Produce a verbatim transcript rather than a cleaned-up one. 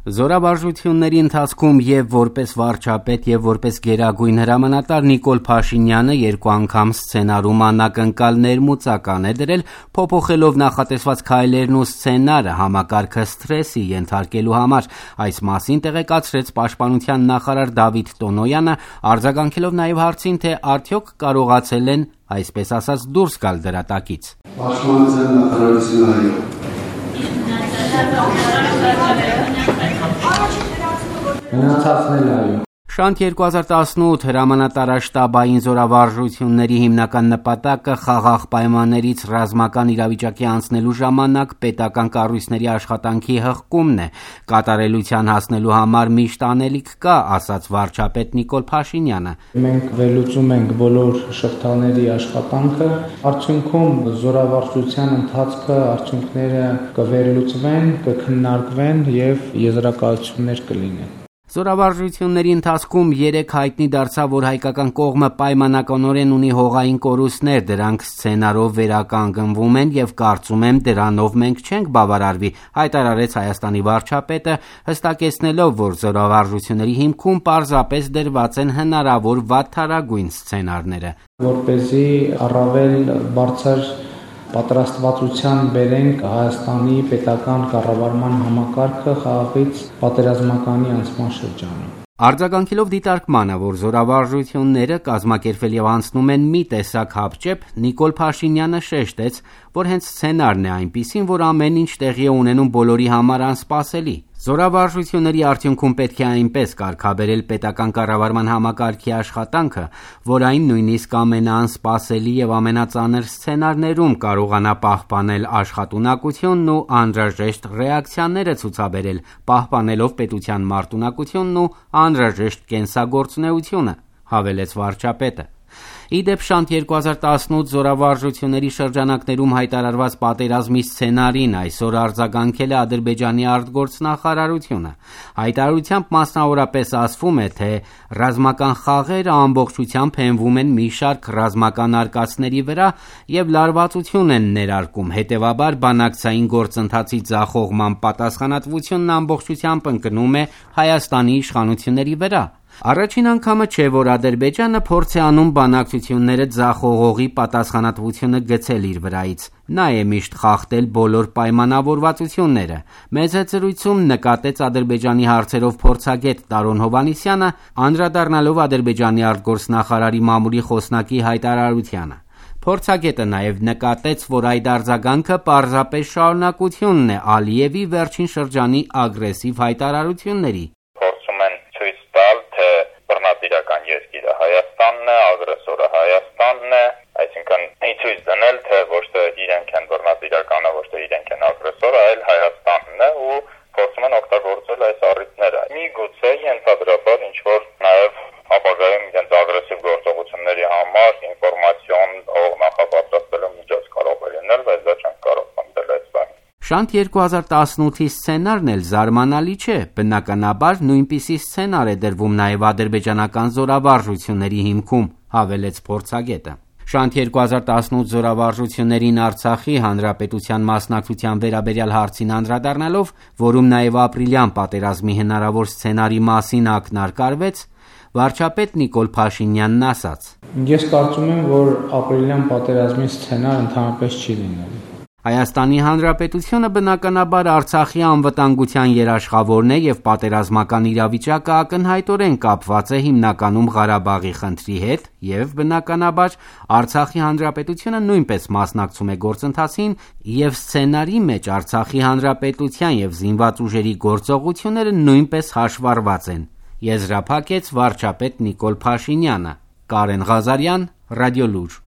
Զորավարժությունների ընթացքում եւ որպես վարչապետ եւ որպես գերագույն հրամանատար Նիկոլ Փաշինյանը երկու անգամ սցենարում անակնկալ ներմուծական է դրել, փոփոխելով նախատեսված քայլերն ու սցենարը համակարգը սթրեսի ենթարկելու համար։ Այս մասին տեղեկացրեց Պաշտպանության նախարար Դավիթ Տոնոյանը, արձագանքելով նաեւ հարցին, թե արդյոք կարողացել են, այսպես ասած, դուրս գալ դրատակից։ Պաշտպանության նախարարությունը Գնացածն այո։ Շանթ երկու հազար տասնութ հրամանատարաշտաբային զորավարժությունների հիմնական նպատակը խաղաղ պայմաններից ռազմական իրավիճակի անցնելու ժամանակ պետական կառույցների աշխատանքի հղկումն է։ Կատարելության հասնելու համար միշտ անելիք կա, ասաց վարչապետ Նիկոլ Փաշինյանը։ Մենք վերլուծում ենք բոլոր շղթաների աշխատանքը, արդյունքում զորավարժության ընթացքը արդյունքները կվերլուծվեն, կքննարկվեն եւ եզրակացություններ կլինեն։ Զորավարժությունների ընթացքում երեք հայտնի դարձավ, որ հայկական կողմը պայմանականորեն ունի հողային կորուստներ, դրանք սցենարով վերականգնվում են եւ կարծում եմ դրանով մենք չենք բավարարվի, հայտարարեց Հայաստանի վարչապետը, հստակեցնելով, որ զորավարժությունների հիմքում պարզապես դրված են հնարավոր վատթարագույն սցենարները։ Որպեսզի առավել բարձր պատրաստվածության բերենք Հայաստանի պետական կառավարման համակարգը խաղաղից պատերազմականի անցման շրջանում։ Արձագանքելով դիտարկմանը, որ զորավարժությունները կազմակերպվել եւ անցնում են մի տեսակ հապճեպ, Նիկոլ Փաշինյանը շեշտեց, որ հենց սցենարն է այնպիսին, որ ամեն ինչ տեղի է ունենում բոլորի համար անսպասելի։ Զորավարժությունների արդյունքում պետք է այնպես կարգաբերել պետական կառավարման համակարգի աշխատանքը, որ այն նույնիսկ ամենաանսպասելի եւ ամենածանր սցենարներում կարողանա պահպանել աշխատունակությունն ու անհրաժեշտ ռեակցիաները ցուցաբերել, պահպանելով պետության մարտունակությունն ու անհրաժեշտ կենսագործունեությունը, հավելեց վարչապետը։ Իդեպ Շանթ երկու հազար տասնութ զորավարժությունների շրջանակներում հայտարարված պատերազմի սցենարին այսօր արձագանքել է Ադրբեջանի արտգործնախարարությունը։ Հայտարարությամբ մասնավորապես ասվում է, թե ռազմական խաղերը ամբողջությամբ հենվում են մի շարք ռազմական արկածների վրա եւ լարվածություն են ներարկում, հետեւաբար բանակցային գործընթացի ձախողման պատասխանատվությունն ամբողջությամբ ընկնում է Հայաստանի իշխանությունների վրա։ Առաջին անգամը չէ, որ Ադրբեջանը փորձ է անում բանակցությունները ձախողողի պատասխանատվությունը գցել իր վրայից։ Նա է միշտ խախտել բոլոր պայմանավորվածությունները։ Մեծ զրույցում նկատեց Ադրբեջանի հարցերով փորձագետ Տարոն Հովհաննիսյանը, անդրադառնալով Ադրբեջանի արտգործնախարարի մամուլի խոսնակի հայտարարությանը։ Փորձագետը նաև նկատեց, որ այդ արձագանքը պարզապես շարունակությունն է Ալիևի վերջին շրջանի ագրեսիվ հայտարարությունների։ Երկիրը Հայաստանն է, ագրեսորը Հայաստանն է, այսինքն ցույց դնել, թե ոչ թե իրենք են բռնատիրականը, ոչ թե իրենք են ագրեսորը, այլ Հայաստանն է ու փորձում են օգտագործել այս առիթները։ Միգուցե ենթադրաբար ինչ որ նաև ապագայում իրենց ագրեսիվ գործողությունների համար ինֆորմացիոն նախապատրաստելու միջոց կարող է լինել, բայց դա չենք կարող պնդել այս բանը։ Շանթ երկու հազար տասնութի սցենարն էլ զարմանալի չէ, բնականաբար նույնպիսի սցենար է դրվում նաև ադրբեջանական զորավարժությունների հիմքում, հավելեց փորձագետը։ Շանթ երկու հազար տասնութ զորավարժություններին Արցախի հանրապետության մասնակցության վերաբերյալ հարցին անդրադառնալով, որում նաև ապրիլյան պատերազմի հնարավոր սցենարի մասին ակնարկարվեց, վարչապետ Նիկոլ Փաշինյանն ասաց. Ես կարծում եմ, որ ապրիլյան պատերազմի սցենար ընդհանրապես չի լինելու։ Հայաստանի Հանրապետությունը բնականաբար Արցախի անվտանգության երաշխավորն է եւ պատերազմական իրավիճակը ակնհայտորեն կապված է հիմնականում Ղարաբաղի խնդրի հետ եւ բնականաբար Արցախի Հանրապետությունը նույնպես մասնակցում է գործընթացին եւ սցենարի մեջ Արցախի Հանրապետության եւ զինված ուժերի գործողությունները նույնպես հաշվառված են, եզրափակեց վարչապետ Նիկոլ Փաշինյանը։ Կարեն Ղազարյան, Ռադիոլուր։